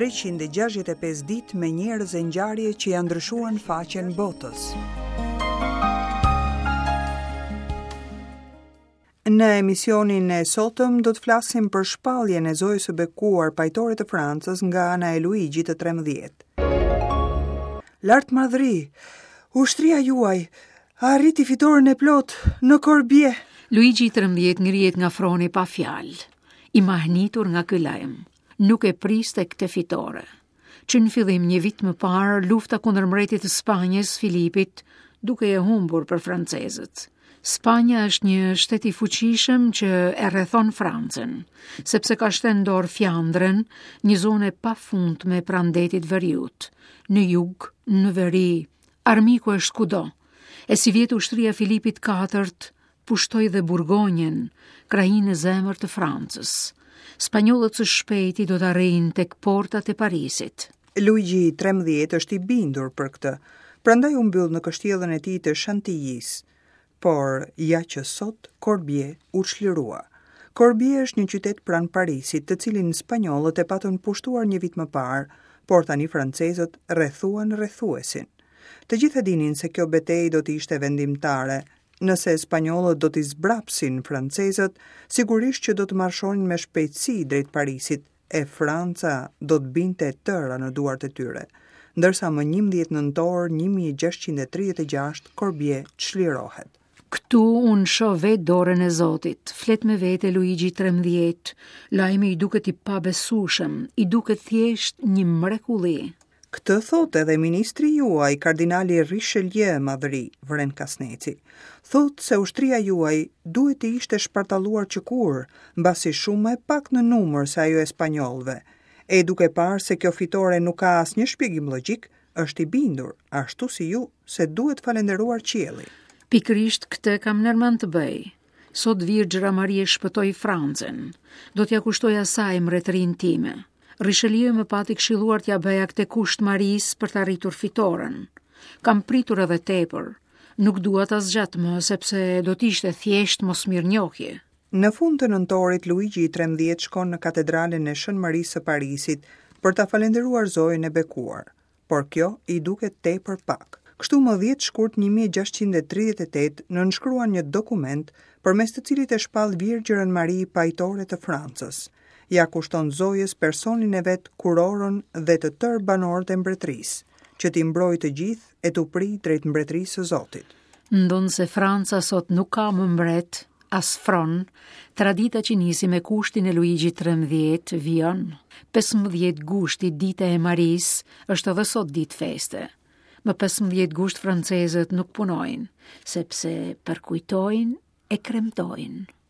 365 ditë me njerëz e ngjarje që ia ndryshuan faqen botës. Në emisionin e sotëm do të flasim për shpalljen e Zojës së Bekuar pajtore të Francës nga ana e Luigjit të 13. Lartmadhëri, ushtria juaj arriti fitoren e plotë në Korbie. Luigji i 13 ngrihet nga froni pa fjalë, i mahnitur nga ky lajm. Nuk e priste këtë fitore. Që në fillim një vit më parë, lufta kundër mbretit të Spanjës, Filipit, dukej e humbur për francezët. Spanja është një shtet i fuqishëm që e rrethon Francën, sepse ka shtënë në dorë Fjandrën, një zonë e pafundme pranë detit veriut, në jug, në veri, armiku është kudo. E sivjet ushtria e Filipit IV pushtoi dhe Burgonjën, krahinë në zemër të Francës. Spanjollët së shpejti do të arrijnë tek portat e Parisit. Luigji i 13 është i bindur për këtë, prandaj u mbyll në kështjellën e tij të Shantijisë. Por, ja që sot, Korbie u çlirua. Korbie është një qytet pranë Parisit, të cilin spanjollët e patën pushtuar një vit më parë, por tani francezët rrethuan rrethuesin. Të gjithë e dinin se kjo betejë do të ishte vendimtare, Nëse spanjollët do t'i zbrapsin francezët, sigurisht që do të marshonin me shpejtësi drejt Parisit, e Franca do të binte e tëra në duart e tyre. Ndërsa më 11 nëntor 1636 Korbie çlirohet. Këtu unë shoh vetë dorën e Zotit, flet me vete Luigji 13, lajmi i duket i pabesueshëm, i duket thjesht një mrekulli. Këtë thotë edhe ministri juaj, kardinali Richelieu, madhëri, vëren Kasneci. Thotë se ushtria juaj duhet të ishte shpartalluar qëkur, mbasi shumë më e pak në numër se ajo e spanjollëve. E duke parë se kjo fitore nuk ka asnjë shpjegim logjik, është i bindur, ashtu si ju, se duhet falënderuar qielli. Pikërisht këtë kam ndërmend të bëj. Sot Virgjëra Marie shpëtoi Francën. Do t'ia kushtoj asaj mbretërinë time. Richelieu më pati këshilluar t'ia bëja këtë kusht Marisë për të arritur fitoren. Kam pritur edhe tepër. Nuk dua ta zgjat më, sepse do të ishte thjesht mosmirënjohje. Në fund të nëntorit, Luigji i 13 shkon në katedralen e Shën Marisë së Parisit për ta falënderuar Zojën e Bekuar. por kjo i duket tepër pak. Kështu më 10 shkurt 1638 nënshkruan një dokument përmes të cilit e shpall Virgjërën Mari pajtore të Francës. Ia kushton Zojës personin e vet, kurorën dhe të tërë banorët e mbretërisë, që t'i mbrojë të gjithë e t'u prijë drejt mbretërisë së Zotit. Ndonëse Franca sot nuk ka më mbret, as fron, tradita që nisi me kushtin e Luigjit 13 vijon. 15 gushti, dita e Marisë, është edhe sot ditë feste. Më 15 gusht francezët nuk punojnë, sepse përkujtojnë e kremtojnë.